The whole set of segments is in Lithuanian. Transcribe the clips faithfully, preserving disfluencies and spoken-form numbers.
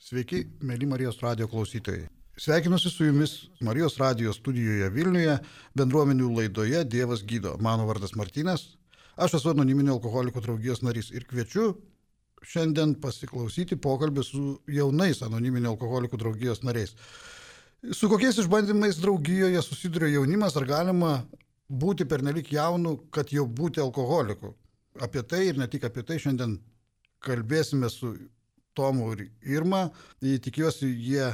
Sveiki, mėly Marijos radijo klausytojai. Sveikinuosi su jumis Marijos radijo studijoje Vilniuje, bendruomenių laidoje Dievas gydo. Mano vardas Martynas, aš esu anoniminių alkoholikų draugijos narys ir kviečiu šiandien pasiklausyti pokalbį su jaunais anoniminių alkoholikų draugijos nariais. Su kokiais išbandymais draugijoje susiduria jaunimas, ar galima būti pernelik jaunu, kad jau būti alkoholiku? Apie tai ir ne tik apie tai šiandien kalbėsime su Tomu ir Irma. Tikiuosi, jie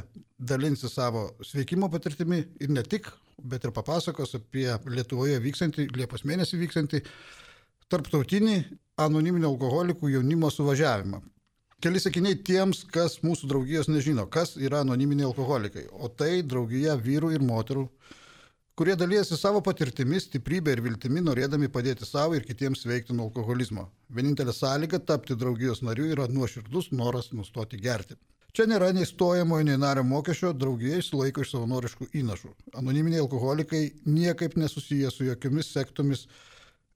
dalinsi savo sveikimo patirtimi ir ne tik, bet ir papasakos apie Lietuvoje vykstantį, Liepos mėnesį vykstantį tarptautinį anoniminių alkoholikų jaunimo suvažiavimą. Keli sakiniai tiems, kas mūsų draugijos nežino, kas yra anoniminiai alkoholikai. O tai draugija vyrų ir moterų, kurie dalyjasi savo patirtimis, stiprybę ir viltimi, norėdami padėti savo ir kitiems sveikti nuo alkoholizmo. Vienintelė sąlyga tapti draugijos nariu yra nuoširdus noras nustoti gerti. Čia nėra nei stojamo, nei nario mokesčio, draugija išsilaiko iš savanoriškų įnašų. Anoniminiai alkoholikai niekaip nesusiję su jokiomis sektomis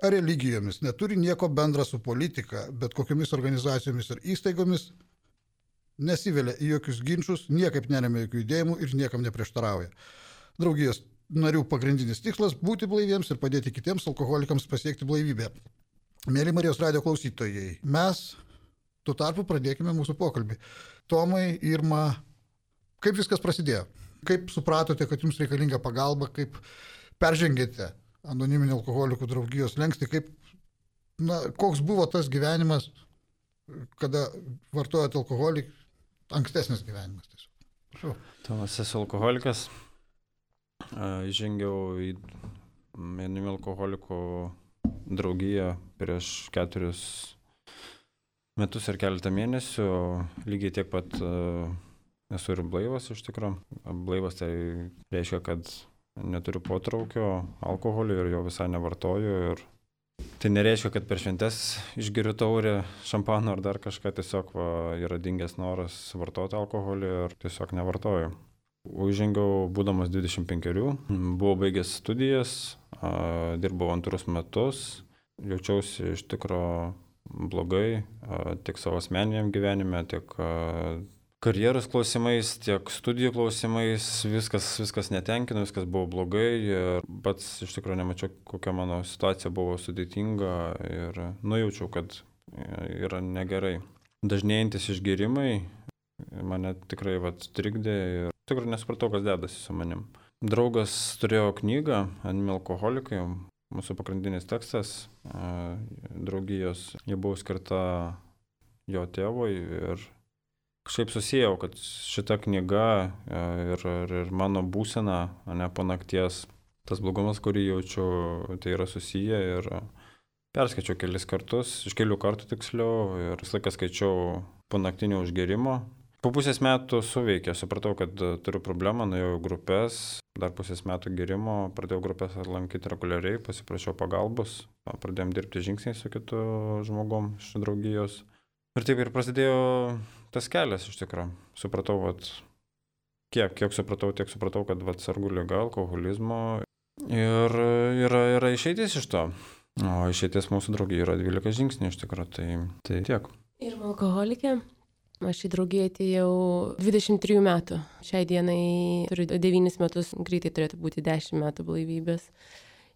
ar religijomis, neturi nieko bendra su politika, bet kokiamis organizacijomis ar įstaigomis, nesivelia į jokius ginčius, niekaip neremia jokių judėjimų ir niekam neprieštarauja. Draugijos narių pagrindinis tikslas – būti blaiviems ir padėti kitiems alkoholikams pasiekti blaivybę. Mėly Marijos radijo klausytojai, mes tuo tarpu pradėkime mūsų pokalbį. Tomai, Irma, kaip viskas prasidėjo? Kaip supratote, kad jums reikalinga pagalba, kaip peržengėte anoniminių alkoholikų draugijos slenkstį, kaip, na, koks buvo tas gyvenimas, kada vartojate alkoholį, ankstesnis gyvenimas tiesiog? Prašau. Tomas, esu alkoholikas. Įžengiau į anoniminių alkoholikų draugiją prieš keturis metus ir keletą mėnesių. Lygiai tiek pat esu ir blaivas iš tikrųjų. Blaivas tai reiškia, kad neturiu potraukio alkoholio ir jo visai nevartoju. Ir tai nereiškia, kad per šventes išgeriu taurę šampano ar dar kažką, tiesiog va, yra dingęs noras vartoti alkoholį ir tiesiog nevartoju. Užžengiau būdamas dvidešimt penkerių, buvau baigęs studijas, dirbau antrus metus, jaučiausi iš tikro blogai, tiek savo asmeniniam gyvenime, tiek karjeros klausimais, tiek studijų klausimais, viskas, viskas netenkino, viskas buvo blogai ir pats iš tikro nemačiau, kokia mano situacija buvo sudėtinga ir nujaučiau, kad yra negerai. Dažnėjantis išgėrimai mane tikrai vat, trikdė ir tikrai nesupratau, kas dedasi su manim. Draugas turėjo knygą Anoniminiai alkoholikai, mūsų pagrindinis tekstas draugijos. Ji buvo skirta jo tėvui ir kažkaip susijau, kad šita knyga ir, ir, ir mano būsena, ne po nakties, tas blogumas, kurį jaučiu, tai yra susiję ir perskaičiau kelis kartus, iš kelių kartų tiksliau ir visą laiką skaičiau po naktinio užgerimo. Po pusės metų suveikė, supratau, kad turiu problemą, nuėjau grupės, dar pusės metų gerimo, pradėjau grupės lankyti reguliariai, pasiprašiau pagalbos, pradėjom dirbti žingsniai su kitu žmogum iš draugijos. Ir taip ir prasidėjo tas kelias iš tikrųjų. Supratau, vat, kiek, kiek supratau, tiek supratau, kad vat, sergu liga, alkoholizmo ir yra, yra išeitis iš to. O išeitis mūsų draugijai yra dvylika žingsnių iš tikrųjų, tai, tai tiek. Ir alkoholikė. Aš į draugiją atėjau dvidešimt trijų metų. Šiai dienai turiu devynis metus, greitai turėtų būti dešimt metų blaivybės.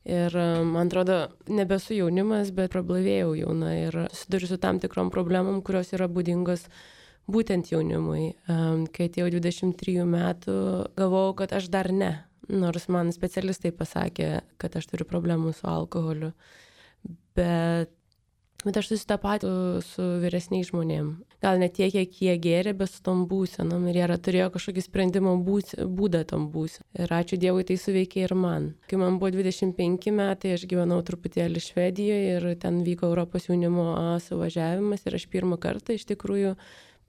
Ir man atrodo, nebesu jaunimas, bet prablaivėjau jauna ir susiduriu su tam tikrom problemom, kurios yra būdingos būtent jaunimui. Kai atėjau dvidešimt trijų metų, galvojau, kad aš dar ne. Nors man specialistai pasakė, kad aš turiu problemų su alkoholiu. Bet Bet aš susitapatinu su vyresniais žmonėm. Gal ne tiek, kiek jie gėrė, bet su tom būsenom. Ir jie turėjo kažkokį sprendimo būdą tom būsenom. Ir ačiū Dievui, tai suveikė ir man. Kai man buvo dvidešimt penki metai, aš gyvenau truputėlį Švedijoje ir ten vyko Europos jaunimo suvažiavimas. Ir aš pirmą kartą iš tikrųjų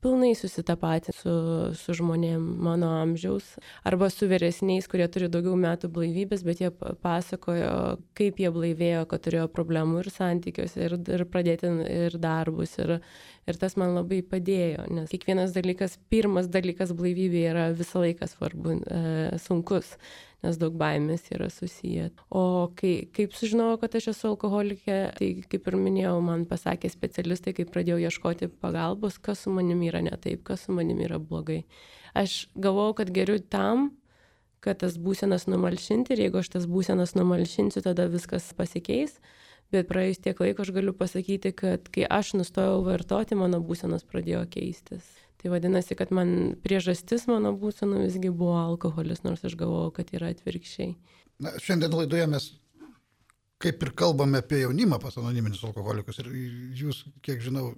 pilnai susitapatinu su, su žmonėm mano amžiaus. Arba su vyresniais, kurie turi daugiau metų blaivybės, bet jie pasakojo, kaip jie blaivėjo, kad turėjo problemų ir santykiuose, ir, ir pradėti ir darbus. Ir, ir tas man labai padėjo, nes kiekvienas dalykas, pirmas dalykas blaivybė yra visą laiką svarbu, e, sunkus. nes daug baimės yra susiję. O kai, kaip sužinojau, kad aš esu alkoholikė, tai kaip ir minėjau, man pasakė specialistai, kai pradėjau ieškoti pagalbos, kas su manimi yra ne taip, kas su manimi yra blogai. Aš galvojau, kad geriu tam, kad tas būsenas numalšinti ir jeigu aš tas būsenas numalšinsiu, tada viskas pasikeis. Bet praėjus tiek laiko aš galiu pasakyti, kad kai aš nustojau vartoti, mano būsenos pradėjo keistis. Tai vadinasi, kad man priežastis mano būsenų visgi buvo alkoholis, nors aš galvojau, kad yra atvirkščiai. Na, šiandien laidoje mes kaip ir kalbame apie jaunimą pas anoniminius alkoholikus ir jūs, kiek žinau,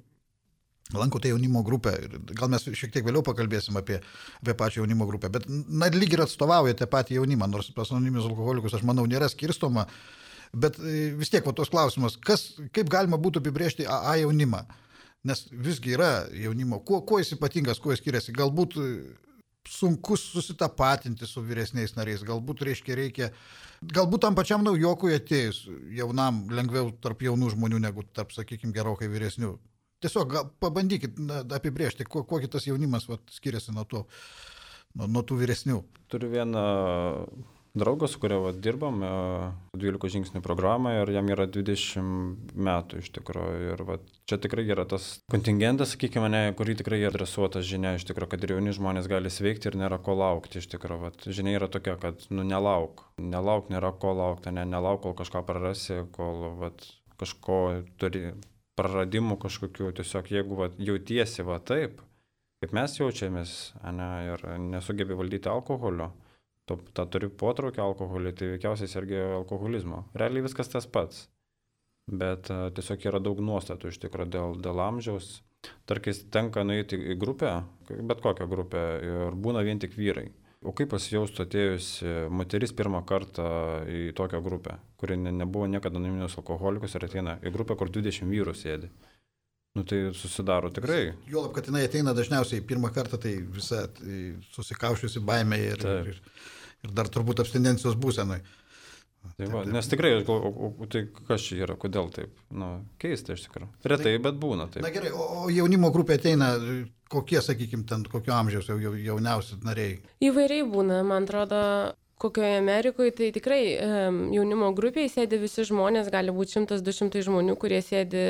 lankote jaunimo grupę. Gal mes šiek tiek vėliau pakalbėsim apie, apie pačią jaunimo grupę, bet na, lyg ir atstovaujate patį jaunimą, nors pas anoniminius alkoholikus, aš manau, nėra skirstoma. Bet vis tiek va tos klausimas, kas, kaip galima būtų apibrėžti A A jaunimą, nes visgi yra jaunimo, kuo, kuo jis ypatingas, kuo jis skiriasi, galbūt sunku susitapatinti su vyresniais nariais, galbūt reiškia reikia, galbūt tam pačiam naujokui atėjus jaunam lengviau tarp jaunų žmonių negu tarp, sakykime, gerokai vyresnių. Tiesiog gal, pabandykit na, apibrėžti, kuo, kuo kitas jaunimas va, skiriasi nuo, to, nuo, nuo tų vyresnių. Turiu vieną draugas, su kuria va, dirbam, dvylikos žingsnių programą ir jam yra dvidešimt metų iš tikrųjų. Ir va, čia tikrai yra tas kontingentas, sakykime, ne, kurį tikrai adresuotas žinia, iš tikrųjų, kad ir jauni žmonės gali sveikti ir nėra ko laukti. Iš tikrųjų, va, žinia yra tokia, kad nu, nelauk, nelauk, nėra ko laukti, ne, nelauk, kol kažką prarasi, kol va, kažko turi praradimų kažkokių, tiesiog jeigu va, jautiesi va, taip, kaip mes jaučiamės, ne, ir nesugebi valdyti alkoholio, tą turi potraukį alkoholį, tai veikiausiai sergi alkoholizmo. Realiai viskas tas pats, bet uh, tiesiog yra daug nuostatų iš tikrųjų dėl, dėl amžiaus. Tarkis tenka nueiti į grupę, bet kokią grupę, ir būna vien tik vyrai. O kaip pasijaustų atėjusi moteris pirmą kartą į tokią grupę, kuri ne, nebuvo niekada anoniminius alkoholikus ir ateina į grupę, kur dvidešimt vyrų sėdi? Nu tai susidaro tikrai. Juolab, kad jinai ateina dažniausiai pirmą kartą, tai visa tai susikaušiusi baimė ir, ir, ir dar turbūt abstinencijos būsenai. Tai va, nes tikrai, o, o, o tai kas čia yra, kodėl taip? Nu, keista iš tikrųjų. Retai, tai, bet būna taip. Na gerai, o, o jaunimo grupė ateina, kokie, sakykime, ten kokio amžiaus jau jauniausi nariai? Įvairiai būna, man atrodo. Kokioje Amerikoje, tai tikrai um, jaunimo grupėje sėdi visi žmonės, gali būti šimtas du šimtai žmonių, kurie sėdi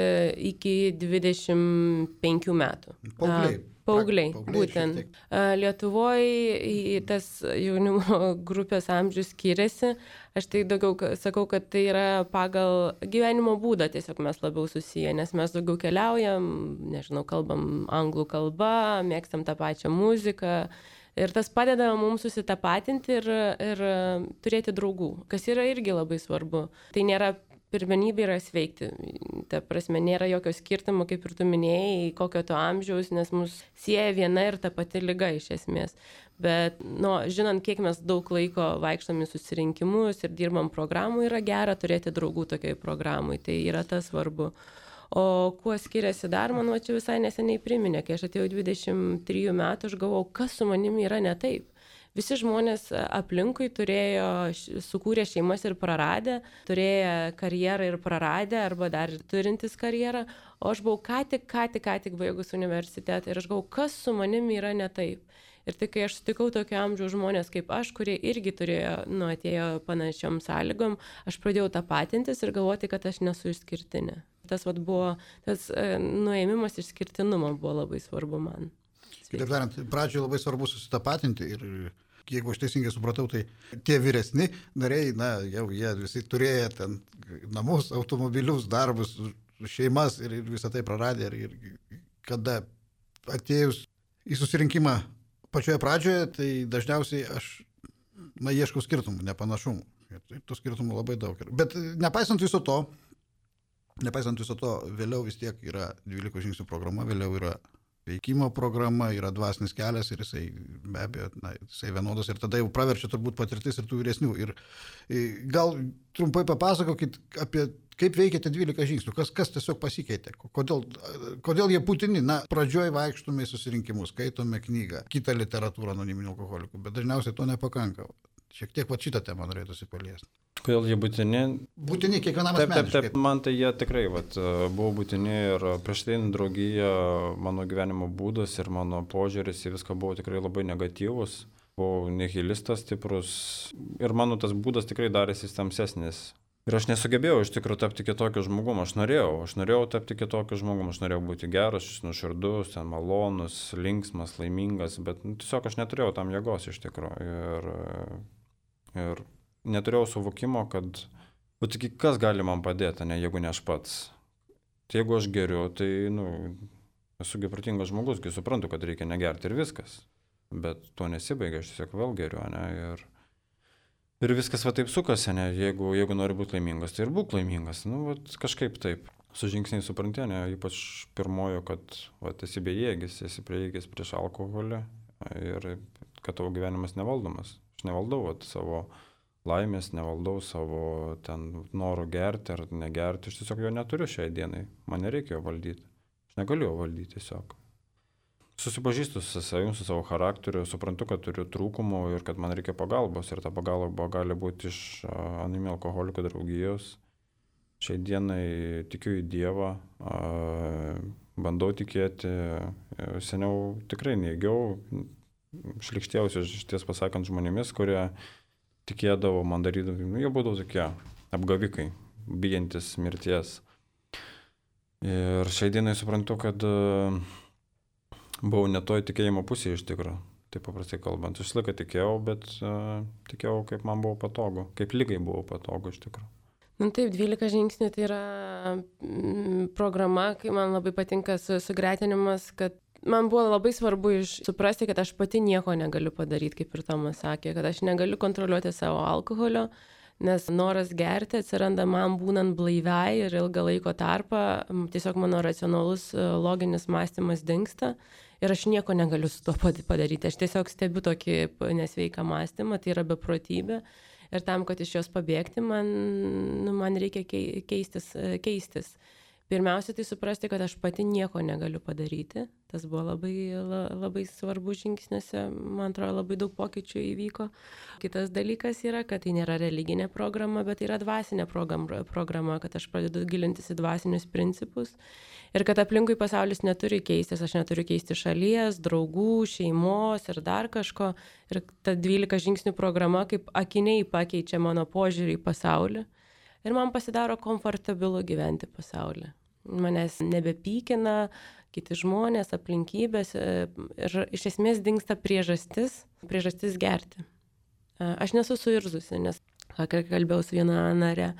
iki dvidešimt penkių metų. Paaugliai. Paaugliai, būtent. Lietuvoje tas jaunimo grupės amžius skiriasi. Aš tai daugiau sakau, kad tai yra pagal gyvenimo būdą, tiesiog mes labiau susiję, nes mes daugiau keliaujam, nežinau, kalbam anglų kalbą, mėgstam tą pačią muziką. Ir tas padeda mums susitapatinti ir, ir turėti draugų, kas yra irgi labai svarbu. Tai nėra pirmenybė yra sveikti. Ta prasme, nėra jokio skirtumo, kaip ir tu minėjai, kokio to amžiaus, nes mus sieja viena ir ta pati liga iš esmės. Bet, nu, žinant, kiek mes daug laiko vaikštom į susirinkimus ir dirbam programų, yra gera turėti draugų tokiai programai. Tai yra tas svarbu. O kuo skiriasi dar, man va čia visai neseniai priminė, kai aš atėjau dvidešimt trijų metų, aš galvojau, kas su manimi yra ne taip. Visi žmonės aplinkui turėjo, sukūrė šeimas ir praradę, turėjo karjerą ir praradę, arba dar turintis karjerą, o aš buvau ką tik, ką tik, ką tik baigus universitetą ir aš galvojau, kas su manimi yra ne taip. Ir tai, kai aš sutikau tokio amžiaus žmonės kaip aš, kurie irgi turėjo, nu, atėjo panašiom sąlygom, aš pradėjau tapatintis ir galvoti, kad aš nesu išskirtinė. Tas vat buvo, tas nuėmimas išskirtinumo buvo labai svarbu man. Kitaip tariant, pradžioje labai svarbu susitapatinti ir jeigu aš teisingai supratau, tai tie vyresni nariai, na, jau jie visi turėjo ten namus, automobilius, darbus, šeimas ir visą tai praradė ir, ir kada atėjus į susirinkimą pačioje pradžioje, tai dažniausiai aš, na, ieškau skirtumų, nepanašumų. Ir tų skirtumų labai daug. Bet nepaisant viso to, nepaisant viso to, vėliau vis tiek yra dvylikos žingsnių programa, vėliau yra veikimo programa, yra dvasinis kelias ir jisai be abejo, na, jisai vienodas ir tada jau praverčia turbūt patirtis ir tų vyresnių. Ir gal trumpai papasakokit apie kaip veikiate dvylika žingsnių, kas, kas tiesiog pasikeitė, kodėl, kodėl jie būtini. Na, pradžioj vaikštume į susirinkimus, skaitome knygą, kitą literatūrą anoniminių alkoholikų, bet dažniausiai to nepakanka. Šiek tiek va šitą temą norėtųsi paliesti. Kodėl jie būtini? Būtini kiekvienam taip, asmeniškai. Taip, taip, man tai jie tikrai vat, buvo būtini ir prieš tai draugija, mano gyvenimo būdas ir mano požiūris į viską buvo tikrai labai negatyvus. buvau nihilistas stiprus ir mano tas būdas tikrai darėsi tamsesnis. Ir aš nesugebėjau iš tikrųjų tapti kitokiu žmogum, aš norėjau, aš norėjau tapti kitokiu žmogum, aš norėjau būti geras, nuoširdus, ten malonus, linksmas, laimingas, bet nu, tiesiog aš neturėjau tam jėgos iš tikrųjų. Ir, ir neturėjau suvokimo, kad, o tik kas gali man padėti, ne, jeigu ne aš pats. Tai jeigu aš geriu, tai, nu, esu protingas žmogus, kai suprantu, kad reikia negerti ir viskas. Bet to nesibaigia, aš tiesiog vėl geriu, ne, ir... Ir viskas va taip sukasi, ne, jeigu, jeigu nori būti laimingas, tai ir būk laimingas, nu, va, kažkaip taip. Su žingsniai supranti, ne, ypač pirmojo, kad va, esi bejėgis, esi prieigęs prieš alkoholį ir kad tavo gyvenimas nevaldomas. Aš nevaldau va, savo laimės, nevaldau savo ten norų gerti ar negerti, aš tiesiog jo neturiu šiai dienai, man nereikia jo valdyti, aš negaliu jo valdyti tiesiog. Susipažįstu su savim, su savo charakteriu, suprantu, kad turiu trūkumų ir kad man reikia pagalbos. Ir ta pagalba gali būti iš Anoniminių alkoholikų draugijos. Šiai dienai tikiu į Dievą, bandau tikėti. Seniau tikrai neigiau, šlikštėjausi iš ties pasakant žmonėmis, kurie tikėdavo, man darydavo, nu, jie būdavo tokie apgavikai, bijantis mirties. Ir šiai dienai suprantu, kad buvau ne toj tikėjimo pusėje iš tikrųjų, taip paprastai kalbant. Aš laiką tikėjau, bet uh, tikėjau, kaip man buvo patogu, kaip lygai buvo patogu iš tikrųjų. Nu taip, dvylika žingsnių tai yra mm, programa, kai man labai patinka su, sugretinimas, kad man buvo labai svarbu iš, suprasti, kad aš pati nieko negaliu padaryti, kaip ir Tomas sakė, kad aš negaliu kontroliuoti savo alkoholio, nes noras gerti atsiranda man būnant blaiviai ir ilgą laiko tarpą, tiesiog mano racionalus loginis mąstymas dingsta. Ir aš nieko negaliu su tuo padaryti. Aš tiesiog stebiu tokį nesveiką mąstymą, tai yra beprotybė. Ir tam, kad iš jos pabėgti, man, nu, man reikia keistis, keistis. Pirmiausia, tai suprasti, kad aš pati nieko negaliu padaryti. Tas buvo labai, labai svarbu žingsniuose. Man atrodo, labai daug pokyčių įvyko. Kitas dalykas yra, kad tai nėra religinė programa, bet tai yra dvasinė programa, kad aš pradedu gilintis į dvasinius principus. Ir kad aplinkui pasaulis neturi keistis, aš neturiu keisti šalies, draugų, šeimos ir dar kažko. Ir ta dvylika žingsnių programa kaip akiniai pakeičia mano požiūrį į pasaulį. Ir man pasidaro komfortabilu gyventi pasaulyje. Manęs nebepykina kiti žmonės, aplinkybės ir iš esmės dingsta priežastis, priežastis gerti. Aš nesu suirzusi, nes kalbėjau su viena nare.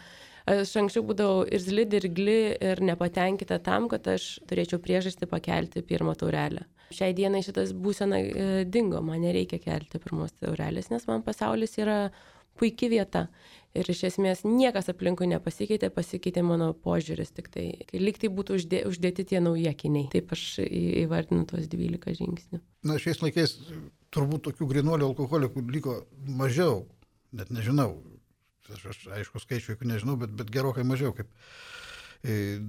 Aš anksčiau būdavau irzli, dirgli ir nepatenkinta tam, kad aš turėčiau priežastį pakelti pirmą taurelę. Šiai dienai šitas būsena dingo, man nereikia kelti pirmos taurelės, nes man pasaulis yra puikia vieta. Ir iš esmės niekas aplinkui nepasikeitė, pasikeitė mano požiūris, tik tai, lyg tai būtų uždė, uždėti tie nauji akiniai. Taip aš įvardinu tuos dvylika žingsnių. Na, šiais laikais turbūt tokių grynuolių alkoholikų liko mažiau, net nežinau. Aš, aš aišku, skaičių jokių nežinau, bet, bet gerokai mažiau. Kaip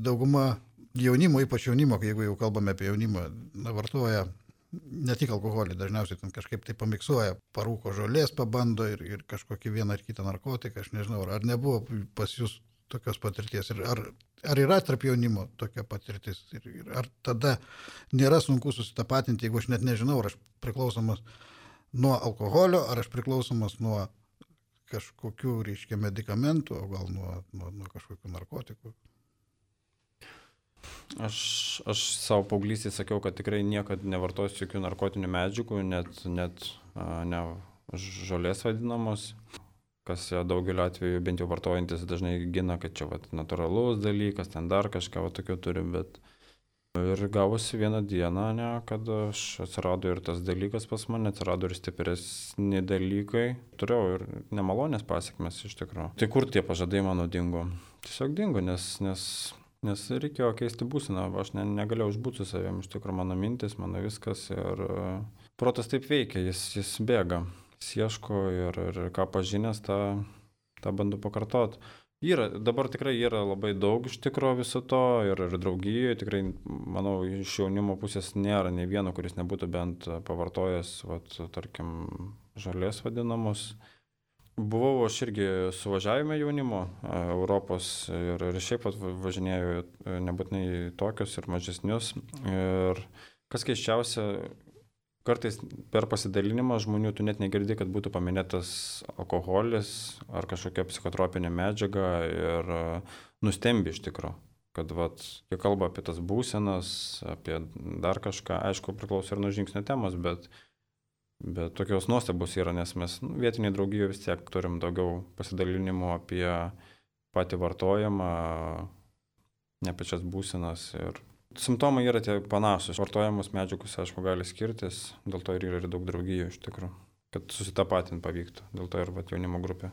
dauguma jaunimo, ypač jaunimo, jeigu jau kalbame apie jaunimą, na, vartoja ne tik alkoholį, dažniausiai ten kažkaip tai pamiksuoja, parūko žolės pabando ir, ir kažkokį vieną ar kitą narkotiką, aš nežinau, ar nebuvo pas jūs tokios patirties, ir ar, ar yra tarp jaunimo tokia patirtis, ir, ir ar tada nėra sunku susitapatinti, jeigu aš net nežinau, ar aš priklausomas nuo alkoholio, ar aš priklausomas nuo kažkokių, reiškia, medikamentų, o gal nuo, nuo, nuo kažkokių narkotikų. Aš, aš savo paauglystėje sakiau, kad tikrai niekad nevartosiu jokių narkotinių medžiagų, net, net ne žolės vadinamos, kas daugeliu atveju bent jau vartojantis dažnai gina, kad čia vat, natūralus dalykas, ten dar kažką vat, tokio turi, bet ir gavosi vieną dieną, ne, kad aš atsirado ir tas dalykas pas mane, atsirado ir stipresni dalykai, turėjau ir nemalonės pasiekmes iš tikrųjų. Tai kur tie pažadai mano dingo? Tiesiog dingo, nes... nes Nes reikėjo keisti būseną, aš ne, negalėjau užbūti su savim, iš tikrųjų mano mintis, mano viskas ir protas taip veikia, jis, jis bėga, jis ieško ir, ir ką pažinęs, tą, tą bandu pakartot. Yra, dabar tikrai yra labai daug iš tikrųjų viso to ir, ir draugijoje, tikrai, manau, iš jaunimo pusės nėra nei vieno, kuris nebūtų bent pavartojęs, vat, tarkim, žolės vadinamos. Buvau aš irgi suvažiavime jaunimo Europos ir, ir šiaip važinėjau nebūtinai tokius ir mažesnius. Ir kas keiščiausia, kartais per pasidalinimą žmonių tu net negirdi, kad būtų paminėtas alkoholis ar kažkokia psichotropinė medžiaga ir nustembi iš tikro, kad vat, jie kalba apie tas būsenas, apie dar kažką, aišku, priklauso ir nuo žingsnio temos, bet, bet tokios nuostabos yra, nes mes nu, vietiniai draugijoje vis tiek turim daugiau pasidalinimų apie patį vartojimą, ne pačias būsenas ir simptomai yra tie panašus. Vartojamos medžiagos, aišku, gali skirtis, dėl to ir yra ir daug draugijų iš tikrųjų, kad susitapatint pavyktų, dėl to ir vat, jaunimo grupė.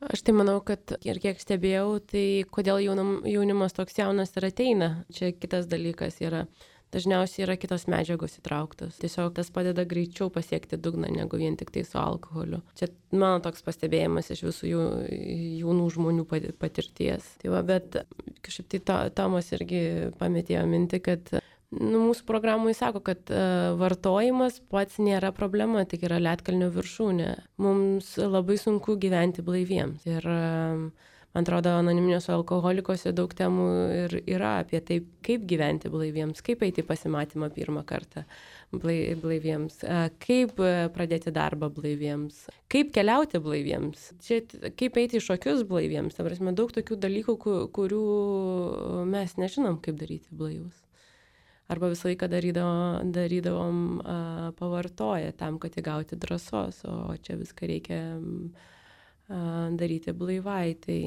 Aš tai manau, kad ir kiek stebėjau, tai kodėl jaunam, jaunimas toks jaunas ir ateina, čia kitas dalykas yra. Dažniausiai yra kitos medžiagos įtrauktos. Tiesiog tas padeda greičiau pasiekti dugną, negu vien tik tai su alkoholiu. Čia mano toks pastebėjimas iš visų jų, jaunų žmonių patirties. Tai va, bet kažkaip tai to, Tomas irgi pametėjo mintį, kad nu, mūsų programoje sako, kad uh, vartojimas pats nėra problema, tik yra ledkalnio viršūnė. Mums labai sunku gyventi blaiviems. Ir uh, man atrodo, anoniminiuose alkoholikose daug temų ir yra apie tai, kaip gyventi blaiviems, kaip eiti pasimatymą pirmą kartą blaiviems, kaip pradėti darbą blaiviems, kaip keliauti blaiviems, čia, kaip eiti į šokius blaiviems. Ta prasme, daug tokių dalykų, kurių mes nežinom, kaip daryti blaivus. Arba visą laiką darydavom, darydavom a, pavartoję tam, kad įgauti drąsos, o čia viską reikia daryti blaivai, tai...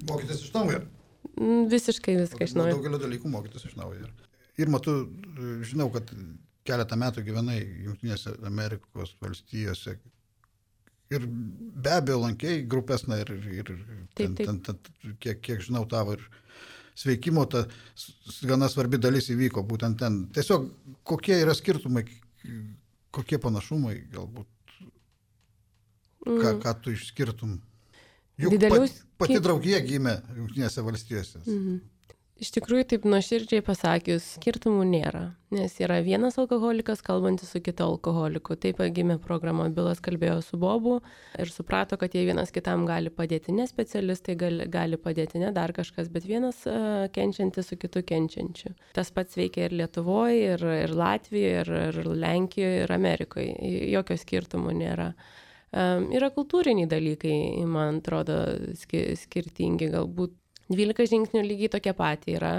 Mokytis iš naujo. Visiškai viską iš naujo. Daugelio dalykų mokytis iš naujo. Irma, tu žinau, kad keletą metų gyvenai Jungtinėse Amerikos valstijose ir be abejo lankei grupės, na ir, ir taip, taip. Ten, ten, ten, kiek, kiek žinau tavo ir sveikimo, ta gana svarbi dalis įvyko būtent ten. Tiesiog kokie yra skirtumai, kokie panašumai galbūt? Ką, ką tu išskirtum? Juk Didelius, pati, pati kaip... draugija gimė Jungtinėse valstijose. Mhm. Iš tikrųjų, taip nuoširdžiai pasakius, skirtumų nėra, nes yra vienas alkoholikas kalbantis su kitu alkoholiku. Taip gimė programa, Bilas kalbėjo su Bobu ir suprato, kad jie vienas kitam gali padėti, ne specialistai gali, gali padėti, ne dar kažkas, bet vienas uh, kenčiantis su kitu kenčiančiu. Tas pats veikia ir Lietuvoje, ir, ir Latvijoje, ir, ir Lenkijoje, ir Amerikoje. Jokio skirtumų nėra. Um, yra kultūriniai dalykai, man atrodo, ski, skirtingi galbūt. dvylika žingsnių lygiai tokia pati yra,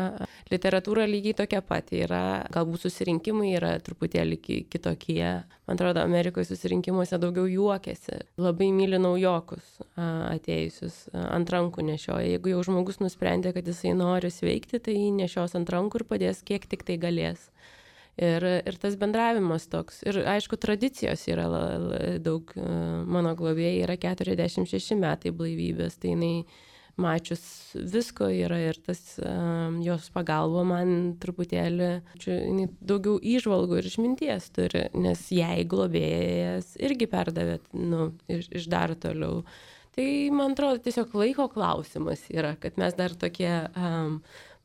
literatūra lygiai tokia pati yra, galbūt susirinkimai yra truputėlį kitokie. Man atrodo, Amerikoje susirinkimuose daugiau juokiasi, labai myli naujokus atėjusius, ant rankų nešioja. Jeigu jau žmogus nusprendė, kad jisai nori sveikti, tai jį nešios ant rankų ir padės kiek tik tai galės. Ir, ir tas bendravimas toks. Ir aišku, tradicijos yra la, la, daug. Mano globėjai yra keturiasdešimt šeši metai blaivybės, tai jinai mačius visko yra ir tas um, jos pagalba man truputėlį, čia, jinai daugiau įžvalgų ir išminties turi, nes jai globėjas irgi perdavė, nu, iš, iš dar toliau. Tai, man atrodo, tiesiog laiko klausimas yra, kad mes dar tokie um,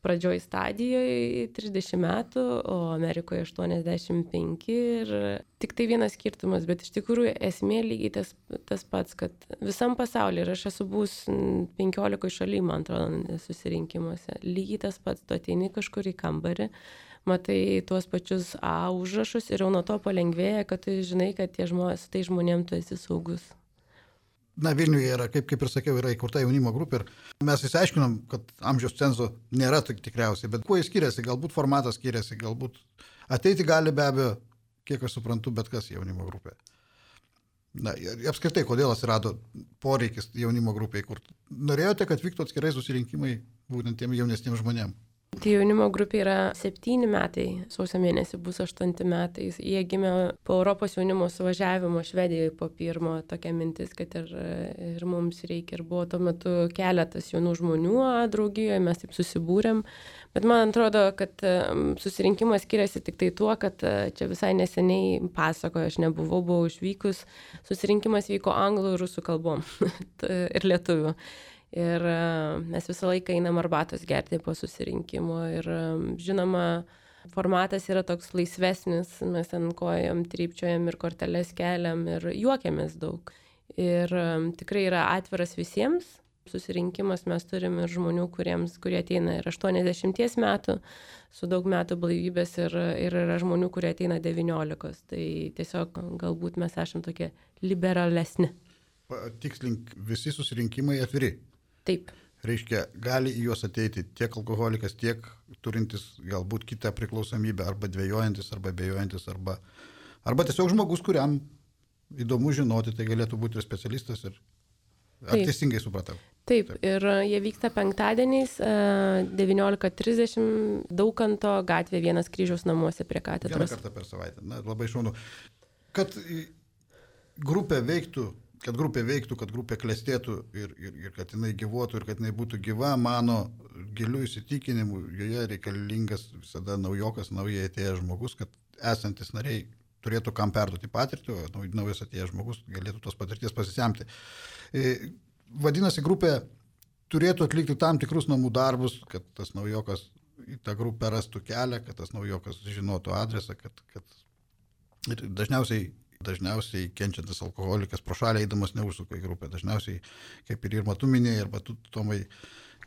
pradžioj stadijoje trisdešimt metų, o Amerikoje aštuoniasdešimt penki ir tik tai vienas skirtumas, bet iš tikrųjų esmė lygiai tas, tas pats, kad visam pasaulyje, ir aš esu buvus penkiolikoje šaly, man atrodo, susirinkimuose, lygiai tas pats, tu ateini kažkur į kambarį, matai tuos pačius A užrašus ir jau nuo to palengvėja, kad tu žinai, kad tie žmonės, su tai žmonėm tu esi saugus. Na, Vilniuje yra, kaip, kaip ir sakiau, yra įkurta jaunimo grupė ir mes įsiaiškinom, kad amžiaus cenzo nėra tikriausiai, bet kuo jis skiriasi, galbūt formatas skiriasi, galbūt ateiti gali be abejo, kiek aš suprantu, bet kas jaunimo grupė. Na, apskritai, kodėl atsirado poreikis jaunimo grupė įkurti? Norėjote, kad vyktų atskirai susirinkimai būtent tiem jaunesniems žmonėms? Tai jaunimo grupė yra septyni metai, sausio mėnesį bus aštuonti metai. Jie gimė po Europos jaunimo suvažiavimo Švedijoje po pirmo tokia mintis, kad ir, ir mums reikia. Ir buvo tuo metu keletas jaunų žmonių draugijoje, mes taip susibūrėm. Bet man atrodo, kad susirinkimas skiriasi tik tai tuo, kad čia visai neseniai pasakoju, aš nebuvau, buvau išvykus. Susirinkimas vyko anglų ir rusų kalbom ir lietuvių. Ir mes visą laiką einam arbatos gerti po susirinkimo ir žinoma, formatas yra toks laisvesnis, mes ten kojom trypčiojam ir korteles keliam ir juokiamės daug. Ir tikrai yra atviras visiems, susirinkimas, mes turim ir žmonių, kuriems, kurie ateina ir aštuoniasdešimties metų, su daug metų blaivybės ir, ir yra žmonių, kurie ateina devyniolikos. Tai tiesiog galbūt mes esam tokie liberalesni. Tikslink, visi susirinkimai atviri. Taip. Reiškia, gali į juos ateiti tiek alkoholikas, tiek turintis galbūt kitą priklausomybę, arba dvejojantis, arba bejojantis, arba, arba tiesiog žmogus, kuriam įdomu žinoti, tai galėtų būti ir specialistas. Ir... Ar Taip. Teisingai supratau? Taip, Taip, ir jie vyksta penktadieniais devyniolika trisdešimt Daukanto gatvė vienas Kryžiaus namuose prie katedros. Vieną kartą per savaitę. Na, labai šaunu. Kad grupė veiktų, kad grupė veiktų, kad grupė klestėtų ir, ir, ir kad jinai gyvuotų ir kad jinai būtų gyva, mano gilių įsitikinimų, joje reikalingas visada naujokas, naujai atėjęs žmogus, kad esantis nariai turėtų kam perduoti patirtį, o naujas atėjęs žmogus galėtų tos patirties pasisemti. Vadinasi, grupė turėtų atlikti tam tikrus namų darbus, kad tas naujokas į tą grupę rastų kelią, kad tas naujokas žinotų adresą, kad, kad ir dažniausiai Dažniausiai kenčiantis alkoholikas pro šalį eidamas neužsuka į grupę. Dažniausiai, kaip ir Irma tu minėjai, arba tu, Tomai,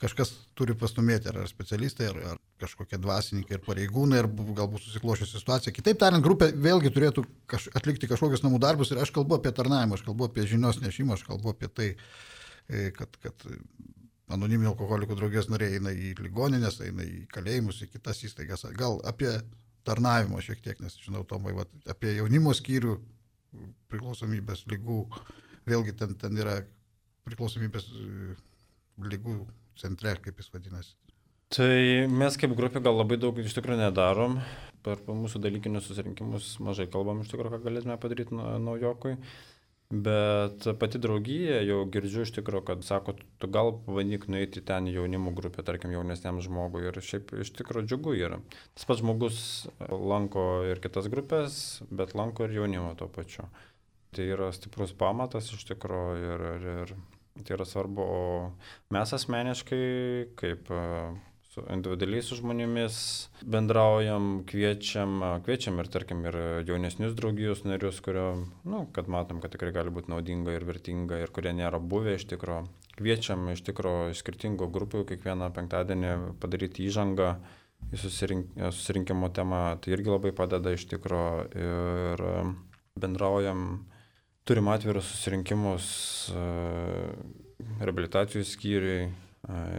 kažkas turi pastumėti, ar specialistai, ar, ar kažkokie dvasininkai, ir pareigūnai, ar galbūt susikloščiusi situacija. Kitaip tariant, grupė vėlgi turėtų kaž, atlikti kažkokius namų darbus ir aš kalbu apie tarnavimą, aš kalbu apie žinios nešimą, aš kalbu apie tai, kad, kad anoniminių alkoholikų draugijos nariai eina į ligoninės, eina į kalėjimus, į kitas įstaigas. Gal apie tarnavimo šiek tiek, nes žinau, Tomai, va, apie jaunimo skyrių, priklausomybės lygų, vėlgi ten, ten yra priklausomybės lygų centre, kaip jis vadinasi. Tai mes kaip grupė gal labai daug iš tikrųjų nedarom, per mūsų dalykinius susirinkimus mažai kalbam iš tikrųjų, ką galėtume padaryti naujokui, bet pati draugija jau girdžiu iš tikrųjų, kad sako, tu gal pabandyk nueiti ten jaunimo grupę, tarkim jaunesniam žmogui ir šiaip iš tikrųjų džiugu yra. Tas pats žmogus lanko ir kitas grupės, bet lanko ir jaunimo tuo pačiu. Tai yra stiprus pamatas iš tikrųjų ir, ir, ir tai yra svarbu, o mes asmeniškai kaip su individualiai su žmonėmis bendraujam, kviečiam, kviečiam ir tarkim ir jaunesnius draugijos narius, kurio, nu, kad matom, kad tikrai gali būti naudinga ir vertinga ir kurie nėra buvę iš tikro. Kviečiam iš tikro iš skirtingų grupių kiekvieną penktadienį padaryti įžangą į susirink, susirinkimo temą, tai irgi labai padeda iš tikro ir bendraujam, turim atvirus susirinkimus reabilitacijų skyriui,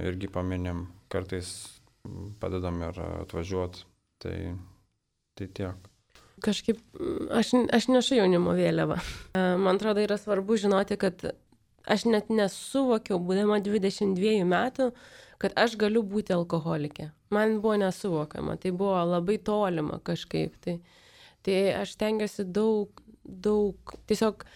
irgi paminim, kartais padedam ir atvažiuoti, tai, tai tiek. Kažkaip aš, aš nešu jaunimo vėliavą. Man atrodo, yra svarbu žinoti, kad aš net nesuvokiau, būdama dvidešimt dviejų metų, kad aš galiu būti alkoholikė. Man buvo nesuvokiama, tai buvo labai tolima kažkaip. Tai, tai aš tengiuosi daug, daug tiesiog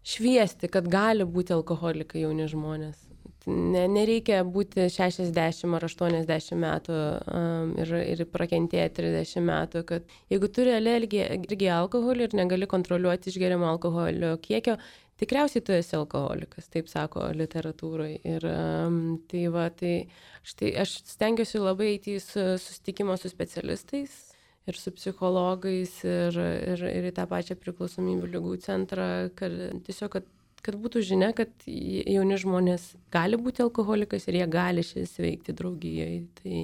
šviesti, kad gali būti alkoholikai jauni žmonės. Ne, nereikia būti šešiasdešimt ar aštuoniasdešimt metų um, ir, ir prakentėti trisdešimt metų, kad jeigu turi alergiją alkoholį ir negali kontroliuoti išgeriamo alkoholio kiekio, tikriausiai tu esi alkoholikas, taip sako literatūroje. Ir um, tai va, tai štai aš stengiuosi labai eiti į susitikimą su specialistais ir su psichologais ir, ir, ir į tą pačią priklausomybių ligų centrą, kad tiesiog, kad kad būtų žinia, kad jauni žmonės gali būti alkoholikais ir jie gali sveikti draugijoje. Tai,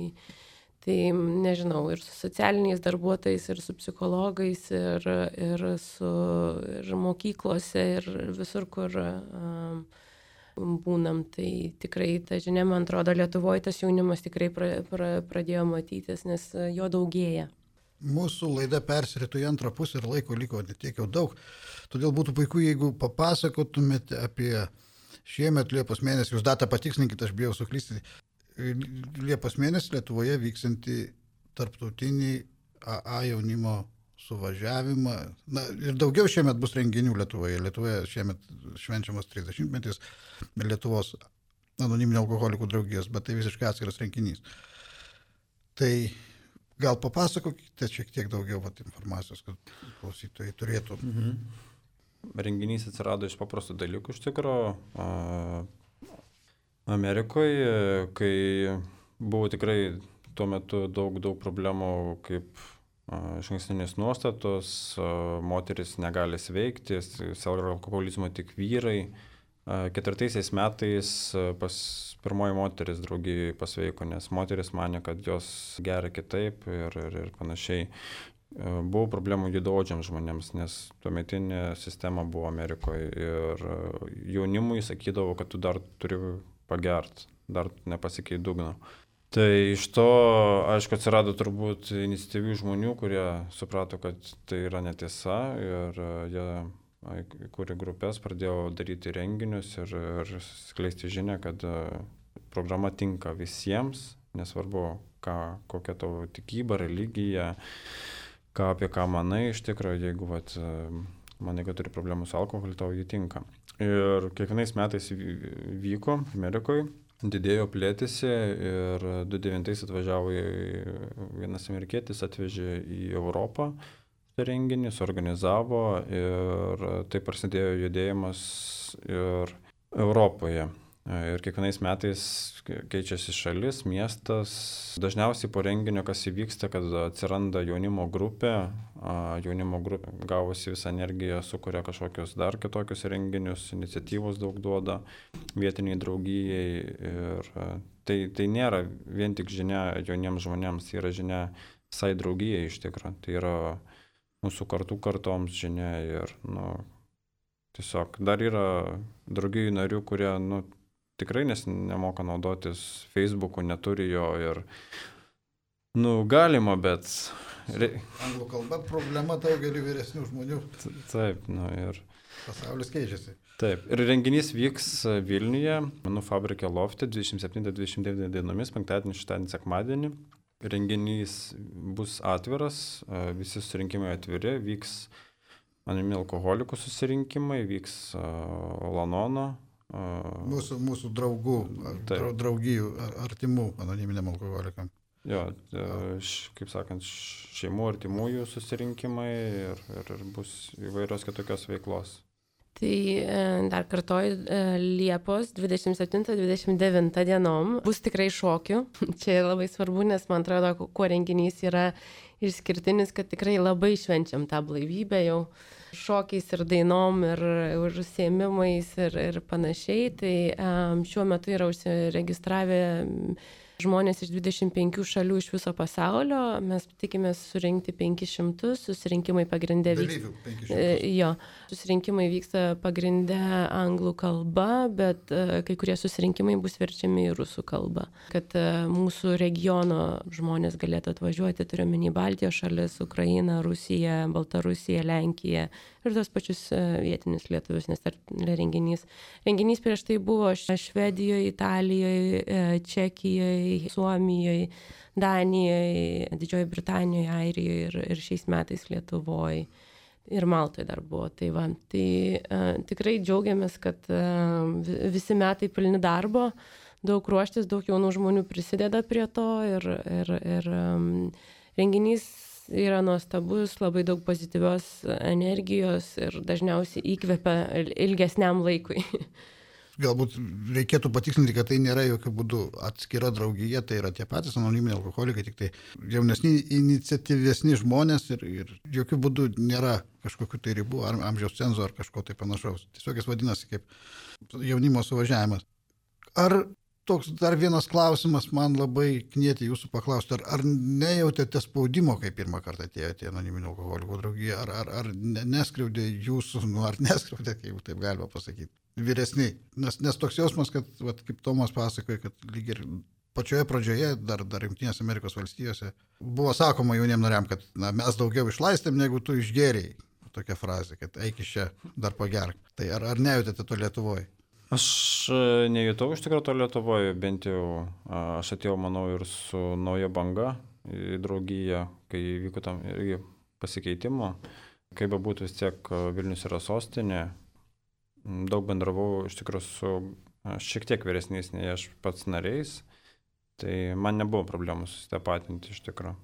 tai nežinau, ir su socialiniais darbuotojais, ir su psichologais, ir, ir su ir mokyklose, ir visur, kur um, būnam. Tai tikrai, ta žinia, man atrodo, Lietuvoje tas jaunimas tikrai pra, pra, pradėjo matytis, nes jo daugėja. Mūsų laida persiritų į antrą pusę ir laiko liko ne tiek jau daug. Todėl būtų puiku, jeigu papasakotumėte apie šiemet Liepos mėnesį, jūs datą patikslinkite, aš bijau suklysti, Liepos mėnesį Lietuvoje vyksantį tarptautinį A A jaunimo suvažiavimą. Na, ir daugiau šiemet bus renginių Lietuvoje. Lietuvoje šiemet švenčiamas trisdešimtmetis Lietuvos anoniminio alkoholikų draugijos, bet tai visiškai atskiras renginys. Tai gal papasakokite šiek tiek daugiau vat, informacijos, kad klausytojai turėtų. Mhm. Renginys atsirado iš paprastų dalykų iš tikro. Amerikoje, kai buvo tikrai tuo metu daug, daug problemų, kaip išankstinės nuostatos, moteris negali sveikti, serga alkoholizmo tik vyrai, Ketvirtaisiais metais pas pirmoji moteris draugijoje pasveiko, nes moteris manė, kad jos geria kitaip ir, ir, ir panašiai. Buvo problemų judaodžiams žmonėms, nes tuometinė sistema buvo Amerikoje ir jaunimui sakydavo, kad tu dar turi pagert, dar nepasikei dugno. Tai iš to, aišku, atsirado turbūt iniciatyvių žmonių, kurie suprato, kad tai yra netiesa ir jie įkūrė grupės, pradėjo daryti renginius ir, ir skleisti žinią, kad programa tinka visiems, nesvarbu, ką, kokia tavo tikyba, religija, ką apie ką manai iš tikrųjų, jeigu vat, manai, kad turi problemų su alkoholiu, tau jį tinka. Ir kiekvienais metais vyko Amerikoje, didėjo, plėtėsi ir du devintais atvažiavo vienas amerikietis, atvežė į Europą renginį, suorganizavo ir taip prasidėjo judėjimas ir Europoje. Ir kiekvienais metais keičiasi šalis, miestas. Dažniausiai po renginio, kas įvyksta, kad atsiranda jaunimo grupė, jaunimo grupė gavusi visą energiją, sukuria kažkokius dar kitokius renginius, iniciatyvos daug duoda vietiniai draugijai. Ir tai, tai nėra vien tik žinia jauniems žmonėms, tai yra žinia visai draugijai iš tikrųjų. Tai yra mūsų kartų kartoms žinia ir nu, tiesiog dar yra draugijų narių, kurie nu, tikrai nes nemoka naudotis Facebook'u, neturi jo ir, nu, galima, bet... Anglų kalba problema daugelį vyresnių žmonių. Taip, nu ir... Pasaulis keičiasi. Taip, ir renginys vyks Vilniuje, Menų fabrike Lofte, dvidešimt septintą dvidešimt devintą dienomis, penktadienį, šeštadienį, sekmadienį. Renginys bus atviras, visi susirinkimai atviri, vyks anoniminių alkoholikų susirinkimai, vyks Lanono. Mūsų, mūsų draugų, Taip. draugijų, artimų anoniminiam alkoholikam. Jo, kaip sakant, šeimų artimųjų susirinkimai ir, ir, ir bus įvairios kitokios veiklos. Tai dar kartoju, Liepos dvidešimt septintą dvidešimt devintą dienom bus tikrai šokių. Čia labai svarbu, nes man atrodo, kuo renginys yra išskirtinis, kad tikrai labai švenčiam tą blaivybę jau šokiais ir dainom ir užsiėmimais ir, ir panašiai. Tai um, šiuo metu yra užsiregistravę žmonės iš dvidešimt penkių šalių iš viso pasaulio. Mes tikimės surinkti penkis šimtus, susirinkimai pagrindė vyksta. Jo, susirinkimai vyksta pagrindė anglų kalba, bet uh, kai kurie susirinkimai bus verčiami į rusų kalbą. Kad uh, mūsų regiono žmonės galėtų atvažiuoti, turiuomenį Baltijos šalis, Ukrainą, Rusiją, Baltarusiją, Lenkiją ir tos pačius uh, vietinius lietuvius, nes tai renginys. Renginys prieš tai buvo Švedijoje, Italijoje, uh, Čekijoje, Suomijoje, Danijoje, Didžiojoje Britanijoje, Airijoje ir, ir šiais metais Lietuvoje ir Maltoje dar buvo. Tai, va, tai uh, tikrai džiaugiamės, kad uh, visi metai pilni darbo, daug ruoštis, daug jaunų žmonių prisideda prie to ir, ir, ir um, renginys yra nuostabus, labai daug pozityvios energijos ir dažniausiai įkvepia ilgesniam laikui. Galbūt reikėtų patikslinti, kad tai nėra jokių būdų atskira draugija, tai yra tie patys anoniminiai alkoholikai, tik tai jaunesni, iniciatyvesni žmonės ir, ir jokių būdų nėra kažkokių tai ribų, ar amžiaus cenzo ar kažko tai panašaus. Tiesiog jis vadinasi kaip jaunimo suvažiavimas. Ar toks dar vienas klausimas man labai knieti jūsų paklausti, ar, ar nejautėte spaudimo, kai pirmą kartą atėjote į anoniminių alkoholikų draugiją, ar, ar, ar neskriaudė jūsų, nu, ar neskriaudė, kaip taip galima pasakyti, vyresni, nes, nes toks jausmas, kad, vat, kaip Tomas pasakoja, kad lyg ir pačioje pradžioje, dar, dar Jungtinėse Amerikos valstijose, buvo sakoma jauniem nariam, kad na, mes daugiau išlaistėm, negu tu išgėrėjai. Tokia frazė, kad eik iš čia, dar pagerk. Tai ar, ar nejautėte to Lietuvoje? Aš nejutau iš tikrųjų to Lietuvoje, bent jau aš atėjau, manau, ir su nauja banga į draugiją, kai vyko tam irgi pasikeitimo. Kaip bebūtų, vis tiek Vilnius yra sostinė. Daug bendravau iš tikrųjų su šiek tiek vyresniais nei aš pats nariais. Tai man nebuvo problemų susitapatinti iš tikrųjų.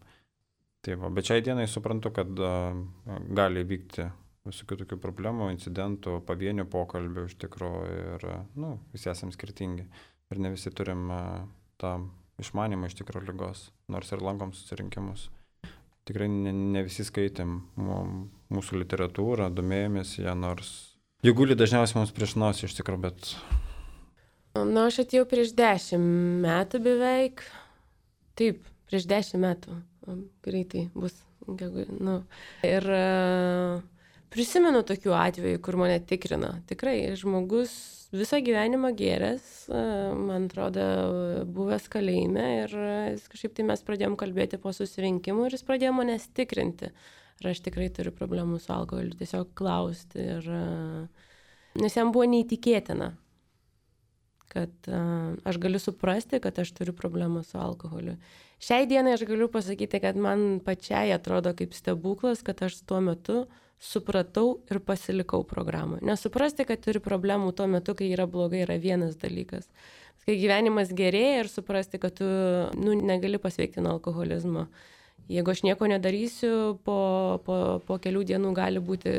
Tai va, bet šiai dienai suprantu, kad gali vykti visokių tokių problemų, incidentų, pavienių pokalbių iš tikrųjų ir, nu, visi esame skirtingi ir ne visi turim tą išmanimą iš tikrųjų ligos, nors ir lankom susirinkimus. Tikrai ne, ne visi skaitėm mūsų literatūrą, domėjomės ją, nors Jie guli dažniausiai mums prieš nosį iš tikrųjų, bet... Na, aš atėjau prieš dešimt metų beveik. Taip, prieš dešimt metų. Greitai bus. Nu. Ir uh, prisimenu tokių atvejų, kur mane tikrina. Tikrai, žmogus visą gyvenimą gėręs, uh, man atrodo, buvęs kalėjime ir uh, kažkaip tai mes pradėjom kalbėti po susirinkimų ir jis pradėjo manęs tikrinti. Ar aš tikrai turiu problemų su alkoholiu, tiesiog klausti. Ir, uh, nes jam buvo neįtikėtina, kad uh, aš galiu suprasti, kad aš turiu problemą su alkoholiu. Šiai dienai aš galiu pasakyti, kad man pačiai atrodo kaip stebuklas, kad aš tuo metu supratau ir pasilikau programą. Nesuprasti, kad turiu problemų tuo metu, kai yra blogai, yra vienas dalykas. Kai gyvenimas gerėja ir suprasti, kad tu nu, negali pasveikti nuo alkoholizmo. Jeigu aš nieko nedarysiu, po, po, po kelių dienų gali būti,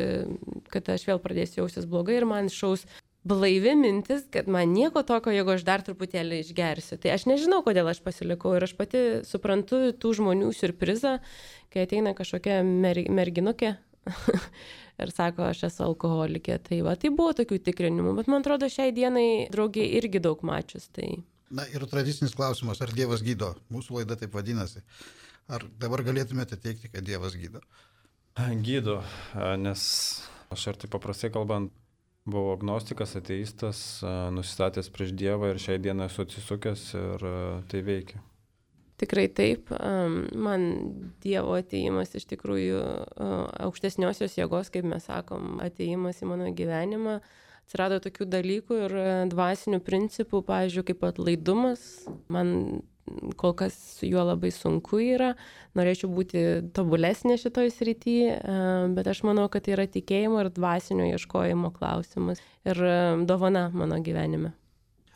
kad aš vėl pradėsiu jaustis blogai ir man šaus blaivi mintis, kad man nieko tokio, jeigu aš dar truputėlį išgersiu. Tai aš nežinau, kodėl aš pasilikau ir aš pati suprantu tų žmonių siurprizą, kai ateina kažkokia mer, merginukė ir sako, aš esu alkoholikė. Tai va, tai buvo tokių tikrinimų, bet man atrodo šiai dienai draugiai irgi daug mačius. Tai... Na ir tradicinis klausimas, ar Dievas gydo? Mūsų laida taip vadinasi. Ar dabar galėtumėte teikti, kad Dievas gydo? Gydo, nes aš ir taip paprastai kalbant, buvau agnostikas, ateistas, nusistatęs prieš Dievą ir šiai dieną esu atsisukęs ir tai veikia. Tikrai taip. Man Dievo atėjimas iš tikrųjų aukštesniosios jėgos, kaip mes sakom, atėjimas į mano gyvenimą. Atsirado tokių dalykų ir dvasinių principų, pavyzdžiui, kaip atlaidumas. Man kol kas su juo labai sunku yra. Norėčiau būti tobulesnė šitoj srityje, bet aš manau, kad tai yra tikėjimo ir dvasinio ieškojimo klausimas ir dovana mano gyvenime.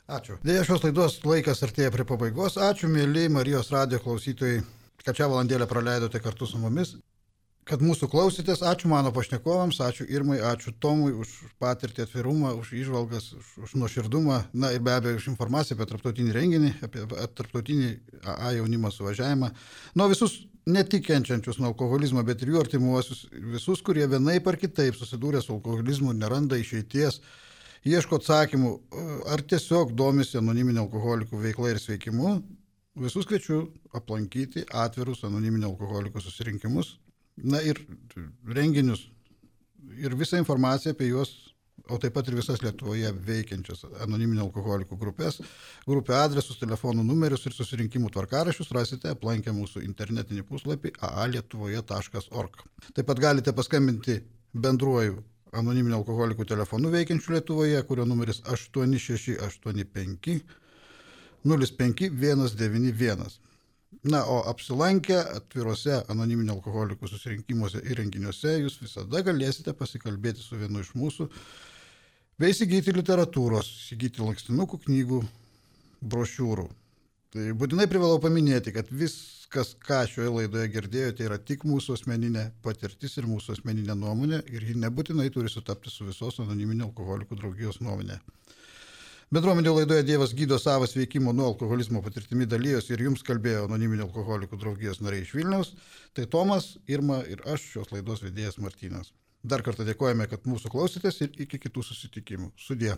Ačiū. Deja, šios laidos laikas artėja prie pabaigos. Ačiū, mėly Marijos radijo klausytojai, kad šią valandėlę praleidote kartu su mumis. Kad mūsų klausytės, ačiū mano pašnekovams, ačiū Irmai, ačiū Tomui už patirtį, atvirumą, už įžvalgas, už, už nuoširdumą, na ir be abejo už informaciją apie tarptautinį renginį, apie tarptautinį A A jaunimo suvažiavimą. Nuo visus ne tik kenčiančius nuo alkoholizmo, bet ir jų artimuosius, visus, kurie vienaip ar kitaip susidūrė su alkoholizmu, neranda išeities, ieško atsakymų, ar tiesiog domisi anoniminio alkoholikų veikla ir sveikimu, visus kviečiu aplankyti atvirus anoniminio alkoholikų susirinkimus. Na ir renginius ir visą informaciją apie juos, o taip pat ir visas Lietuvoje veikiančias anoniminio alkoholikų grupės, grupių adresus, telefonų numerius ir susirinkimų tvarkaraščius rasite aplankę mūsų internetinį puslapį a a lietuvoje taškas org. Taip pat galite paskambinti bendruoju anoniminio alkoholikų telefonu veikiančiu Lietuvoje, kurio numeris aštuoni šeši aštuoni penki nulis penki vienas devyni vienas. Na, o apsilankę atviruose anoniminio alkoholikų susirinkimuose ir renginiuose jūs visada galėsite pasikalbėti su vienu iš mūsų, bei įsigyti literatūros, įsigyti lankstinukų, knygų, brošiūrų. Tai būtinai privalau paminėti, kad viskas, ką šioje laidoje girdėjote, yra tik mūsų asmeninė patirtis ir mūsų asmeninė nuomonė ir ji nebūtinai turi sutapti su visos anoniminio alkoholikų draugijos nuomonė. Bendruomenė laidoje Dievas gydo savo sveikimo nuo alkoholizmo patirtimi dalyjosi ir jums kalbėjo anoniminio alkoholikų draugijos nariai iš Vilniaus. Tai Tomas, Irma ir aš, šios laidos vedėjas Martynas. Dar kartą dėkojame, kad mūsų klausėtės ir iki kitų susitikimų. Sudie.